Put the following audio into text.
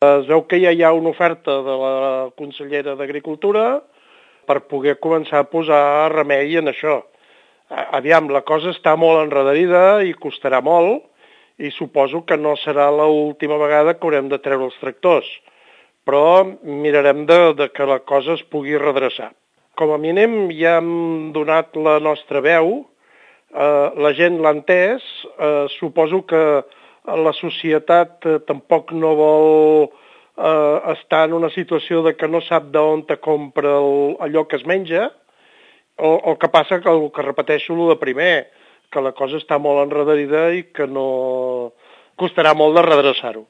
Es veu que ja hi ha una oferta de la consellera d'Agricultura per poder començar a posar remei en això. Aviam, la cosa està molt enredarida i costarà molt, i suposo que no serà l'última vegada que haurem de treure els tractors, però mirarem de que la cosa es pugui redreçar. Com a mínim ja hem donat la nostra veu, la gent l'ha entès, suposo que la societat tampoc no vol estar en una situació de que no sap d'on te compra allò que es menja. El que passa que el que repeteixo el de primer, que la cosa està molt enredarida i que no costarà molt de redreçar-ho.